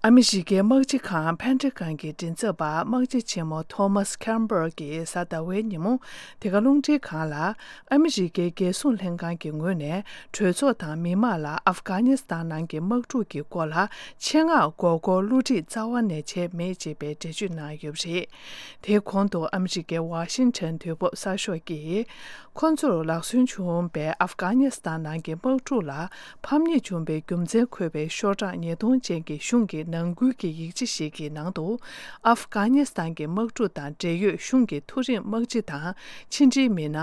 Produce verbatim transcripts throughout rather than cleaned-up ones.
ཨ་མི་རི་ཀའི་དམག་སྤྱི་ཁང་ཕན་ཁྲི་ཁང་གི་མགྲིན་ཚབ་པ་དམག་སྤྱི་ཆེན་མོ་ཐོ་མཱས་ཁེམ་པར་གྱིས་གཟའ་ཟླ་བའི་ཉིན་མོ་དེ་ག་རླུང་འཕྲིན་ཁང་ལ། ཨ་མི་རི་ཀའི་རྒྱལ་སྲུང་ལྷན་ཁང་གི་ངོས་ནས་གྲོས་ཚོགས་དང་མི་མང་ལ་ཨབ་གྷ་ནི་སི་ཐན་ནང་གི་དམག་འཁྲུག་གི་སྐོར་ལ་ཆེད་མངགས་མགོ་སྐོར་བསླུ་བྲིད་རྩ་བ་ནས་བྱས་མེད་ཅེས་པའི་འགྲེལ་བརྗོད་གནང་ཡོད་པ་རེད། དེའི་གོང་དུ་ཨ་མི་རི་ཀའི་ཝ་ཤིང་ཊོན་དུས་བབ་གསར་ཤོག་གིས། ཁོ་ཚོར་ལག་སོན་བྱུང་བའི་ཨབ་གྷ་ནི་སི་ཐན་ནང་གི་དམག་འཁྲུག་ལ་ཕམ་ཉེས་བྱུང་བའི་རྒྱུ་མཚན་འཁོད་པའི་ཤོག་གྲངས་ཉིས་སྟོང་ཅན་གྱི་གཞུང་གི་ནང་ཁུལ་གྱི་ཡིག་ཆ་ཞིག་གི་ནང་དུ། ཨབ་གྷ་ནི་སི་ཐན་གྱི་དམག་འཁྲུག་དང་འབྲེལ་ཡོད་གཞུང་གི་མཐོ་རིམ་དམག་སྤྱི་དང་ཕྱི་འབྲེལ་མི་སྣ།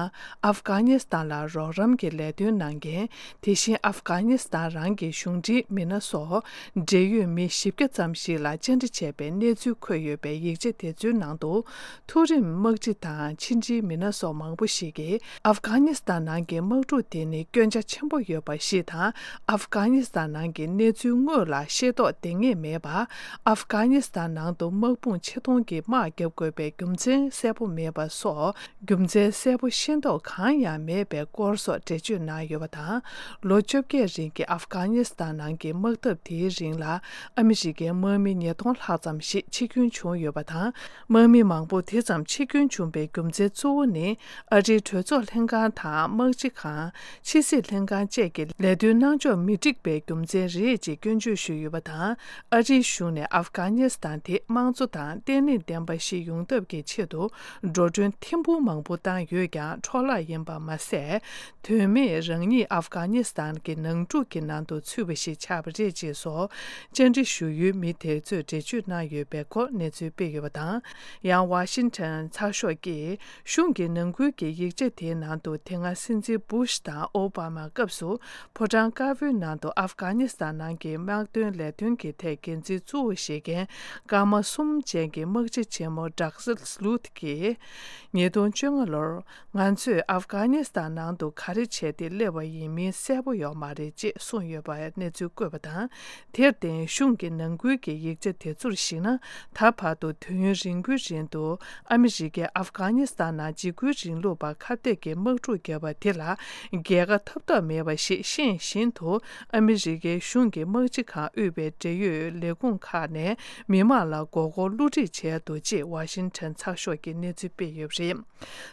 ཨབ་གྷ་ནི་སི་ཐན་ལ་རོགས་རམ་གྱི་ལས་དོན་གནང་མཁན། དེ་བཞིན་ཨབ་གྷ་ནི་སི་ཐན་རང་གི་གཞུང་འབྲེལ་མི་སྣ་སོགས་འབྲེལ་ཡོད་མི་བཞི་བརྒྱ་ཙམ་ཞིག་ལ་བཅར་འདྲི་བྱས་པའི་གནས་ཚུལ་འཁོད་ཡོད་པའི་ཡིག་ཆ་དེ་ཚོའི་ནང་དུ། མཐོ་རིམ་དམག་སྤྱི་དང་ཕྱི་འབྲེལ་མི་སྣ་སོགས་མང་པོ་ཞིག་གིས་ཨབ་གྷ་ནི་སི་ཐན་ནང་གི་དམག་འཁྲུག་དེ་ནི་སྐྱོན་ཆ་ཆེན་པོ་ཡོད་པ་ཞིག་དང་། ཨབ་གྷ་ནི་སི་ཐན་ནང་གི་གནས་ཚུལ་དངོས་ལ་ཤེས་རྟོགས་ལྡང་ངེས་མེད་པ། ཨབ་གྷ་ནི་སི་ཐན་ནང་དུ་དམག་དཔུང་ཆེད་གཏོང་གི་དམག་བརྒྱབ་དགོས་པའི་རྒྱུ་མཚན་གསལ་པོ་མེད་པ་སོགས། རྒྱུ་མཚན་གསལ་པོ་ཤེས་རྟོགས་གང་ཡང་མེད་པའི་སྐོར་སོགས་འགྲེལ་བརྗོད་གནང་ཡོད་པ་དང་། ལོ་བཅོ་བརྒྱད་རིང་གི་ཨབ་གྷ་ནི་སི་ཐན་ནང་གི་དམག་འཐབ་དེའི་རིང་ལ་ཨ་མི་རི་ཀའི་དམག་མི་ཉིས་སྟོང་ལྷག་ཙམ་ཞིག་འཆི་སྐྱོན་བྱུང་ཡོད་པ་དང་། དམག་མི་མང་པོ་དེ་ཙམ་འཆི་སྐྱོན་བྱུང་བའི་རྒྱུ་མཚན་གཙོ་བོ་ནི། ཨ་རིའི་གྲོས་ཚོགས་ལྷན་ཁང་དང་དམག་སྤྱི་ཁང་། ཕྱི་སྲིད་ལྷན་ཁང་བཅས་ཀྱི་ལས་དོན་གནང་ཕྱོགས་མི་འགྲིག་པའི་རྒྱུ་མཚན་རེད་ཅེས་སྐྱོན་བརྗོད་ཞུས་ཡོད་པ་དང་། ཨ་རིའི་གཞུང་ནས་ཨབ་གྷ་ནི་སི་ཐན་དེ་དམངས་གཙོ་དང་བརྟན་ལྷིང་ལྡན་པ་ཞིག་ཡོང་ཐབས་ཀྱི་ཆེད་དུ་འགྲོ་གྲོན་ཐེར་འབུམ་མང་པོ་བཏང་ཡོད་ཀྱང་། འཕྲོ་བརླག་ཡིན་པ་མ་ཟད། དོན་མེད་རང་ཉིད་ཨབ་གྷ་ནི་སི་ཐན་གྱི་ནང་འཁྲུག་གི་ནང་དུ་ཚུད་པ་ཞིག་ཆགས་པ་རེད་ཅེས་སོགས། བཅར་འདྲི་ཞུ་ཡུལ་མི་དེ་ཚོས་འགྲེལ་བརྗོད་གནང་ཡོད་པའི་སྐོར་གནས་ཚུལ་སྤེལ་ཡོད་པ་དང་། ཡང་ཝ་ཤིང་ཊོན་ཚགས་ཤོག་གིས། གཞུང་གི་ནང་ཁུལ་གྱི་ཡིག་ཆ་དེའི་ནང་དུ། དེ་སྔ་སྲིད་འཛིན་བུ་ཤ་དང་ཨོ་བྷ་མ་སྐབས་སུ། ཕོ་བྲང་དཀར་པོའི་ནང་དུ་ཨབ་གྷ་ནི་སི་ཐན་ནང་གི་དམག་དོན་ལས་དོན་གྱི་ཐད་འགན་འཛིན་གཙོ་བོ་བཞེས་མཁན་སྐར་མ་གསུམ་ཅན་གྱི་དམག་སྤྱི་ཆེན་མོ་ཌག་སི་ལུ་ཐི་གིས། ཉིས་སྟོང་བཅོ་ལྔ་ལོར། ང་ཚོས་ཨབ་གྷ་ནི་སི་ཐན་ནང་དུ་ག་རེ་བྱས་ཏེ་སླེབས་པ་ཡིན་མིན་གསལ་པོ་ཡོད་མ་རེད་ཅེས་གསུངས་ཡོད་པའི་གནས་ཚུལ་བཀོད་པ་དང་། དེར་བརྟེན། གཞུང་གི་ནང་ཁུལ་གྱི་ཡིག་ཆ་དེ་ཚོར་གཞིགས་ན། ད་བར་དུ་དུས་ཡུན་རིང་པོའི་རིང་དུ་ཨ་མི་རི་ཀས་ཨབ་གྷ་ནི་སི་ཐན་ནང་འཇིགས་སྐུལ་རིང་ལུགས་པ་ཁ་གཏད་ཀྱི་དམག་འཁྲུག་བརྒྱབ་པ་དེ་ལ་རྒྱལ་ཁ་ཐོབ་ཐབས་མེད་པ་ཞིག་ཤེས་བཞིན་དུ། ཨ་མི་རི་ཀའི་གཞུང་གི་དམག་སྤྱི་ཁང་དབུས་པའི་འབྲེལ་ཡོད་ལས་ཁུངས་ཁག་ནས་མི་མང་ལ་མགོ་སྐོར་བསླུ་བྲིད་བྱས་འདུག་ཅེས་ཝ་ཤིང་ཊོན་ཚགས་ཤོག་གིས་གནས་ཚུལ་སྤེལ་ཡོད་པ་རེད།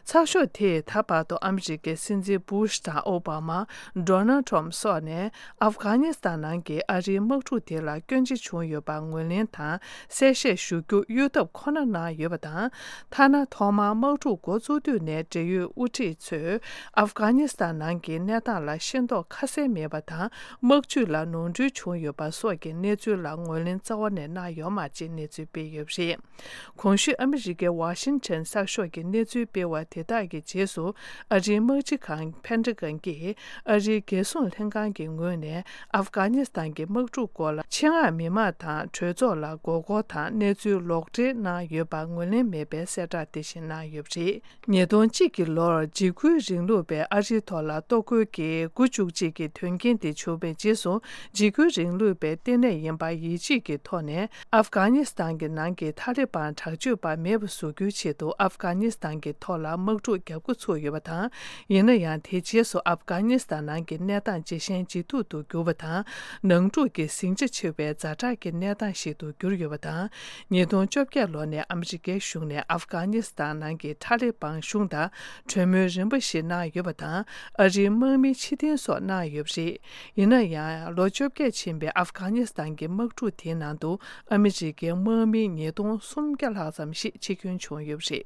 ཚགས་ཤོག་དེས་ད་བར་དུ་ཨ་མི་རི་ཀའི་སྲིད་འཛིན་བུ་ཤ་དང་ཨོ་བྷ་མ། ཌོ་ནལ་ཊམ་སོགས་ནས་ཨབ་གྷ་ནི་སི་ཐན་ནང་གི་ཨ་རིའི་དམག་འཁྲུག་དེ་ལ་སྐྱོན་ཆ་བྱུང་ཡོད་པར་ངོས་ལེན་དང་གསལ་བཤད་ཞུ་རྒྱུ་གཡོལ་ཐབས་ཁོ་ན་གནང་ཡོད་པ་དང་། ཐ་ན་ཐོག་མར་དམག་འཁྲུག་འགོ་བཙུགས་དུས་ནས་འབྲེལ་ཡོད་དབུ་ཁྲིད་ཚོས་ཨབ་གྷ་ནི་སི་ཐན་ནང་གི་གནས་སྟངས་ལ་ཤེས་རྟོགས་ཁ་གསལ་མེད་པ་དང་། དམག་ཇུས་ལ་ནོར་འཁྲུལ་བྱུང་ཡོད་པ་སོགས་ཀྱི་གནས་ཚུལ་ལ་ངོས་ལེན་རྩ་བ་ནས་གནང་ཡོད་མ་རེད་ཅེས་གནས་ཚུལ་སྤེལ་ཡོད་པ་རེད། གོང་ཞུས་ཨ་མི་རི་ཀའི་ཝ་ཤིང་ཊོན་གསར་ཤོག་གི་གནས་ཚུལ་སྤེལ་བ་དེ་དག་གི་རྗེས་སུ། ཨ་རིའི་དམག་སྤྱི་ཁང་ཕན་ཀྲི་ཀན་གྱིས་ཨ་རིའི་རྒྱལ་སྲུང་ལྷན་ཁང་གི་ངོས་ནས་ཨབ་གྷ་ནི་སི་ཐན་གྱི་དམག་འཁྲུག་སྐོར་ལ་ཆེད་མངགས་མི་མང་དང་གྲོས་ཚོགས་ལ་མགོ་སྐོར་དང་གནས་ཚུལ་ལོག་འགྲེལ་གནང་ཡོད་པར་ངོས་ལེན་མེད་པའི་གསལ་བསྒྲགས་དེ་བཞིན་གནང་ཡོད་པ་རེད། ཉིས་སྟོང་གཅིག་གི་ལོར་འཇིགས་སྐུལ་རིང་ལུགས་པས་ཨ་རིའི་ཐོག་ལ་གཏོར་རྒོལ་གྱི་དགུ་བཅུ་གཅིག་གི་དོན་རྐྱེན་དེ་བྱུང་བའི་རྗེས་སུ། འཇིགས་སྐུལ་རིང་ལུགས་པའི་ལྟེ་གནས་ཡིན་པ་ཡིད་ཆེས་ཀྱི་ཐོག་ནས། ཨབ་གྷ་ནི་སི་ཐན་གྱི་ནང་གི་ཐ་ལི་བན་དྲག་སྤྱོད་པ་མེད་པ་བཟོ་རྒྱུའི་ཆེད་དུ་ཨབ་གྷ་ནི་སི་ཐན་གྱི་ཐོག་ལ་དམག་འཁྲུག་བརྒྱབ་འགོ་ཚུགས་ཡོད་པ་དང་། ཡིན་ན་ཡང་། དེའི་རྗེས་སུ་ཨབ་གྷ་ནི་སི་ཐན་ནང་གི་གནས་སྟངས་ཇེ་ཞན་ཇེ་སྡུག་ཏུ་གྱུར་བ་དང་། ནང་འཁྲུག་གི་ཟིང་ཆ་ཆེ་བའི་ཛ་དྲག་གི་གནས་སྟངས་ཤིག་ཏུ་གྱུར་ཡོད་པ་དང་། ཉིས་སྟོང་བཅོ་བརྒྱད་ལོ་ནས་ཨ་མི་རི་ཀའི་གཞུང་ནས་ཨབ་གྷ་ནི་སི་ཐན་ནང་གི་ཐ་ལི་བན་གཞུང་དང་གྲོས་མོལ་རིམ་པ་ཞིག་གནང་ཡོད་པ་དང་། ཨ་རིའི་དམག་མི་ཕྱིར་འཐེན་སོགས་གནང་ཡོད་པ་རེད། ཡིན་ན་ཡང་། ལོ་བཅོ་བརྒྱད་ཕྱིན་པའི་ཨབ་གྷ་ནི་སི་ཐན་གྱི་དམག་འཁྲུག་དེའི་ནང་དུ་ཨ་མི་རི་ཀའི་དམག་མི་ཉིས་སྟོང་སུམ་བརྒྱ་ལྷག་ཙམ་ཞིག་འཆི་སྐྱོན་བྱུང་ཡོད་པ་རེད།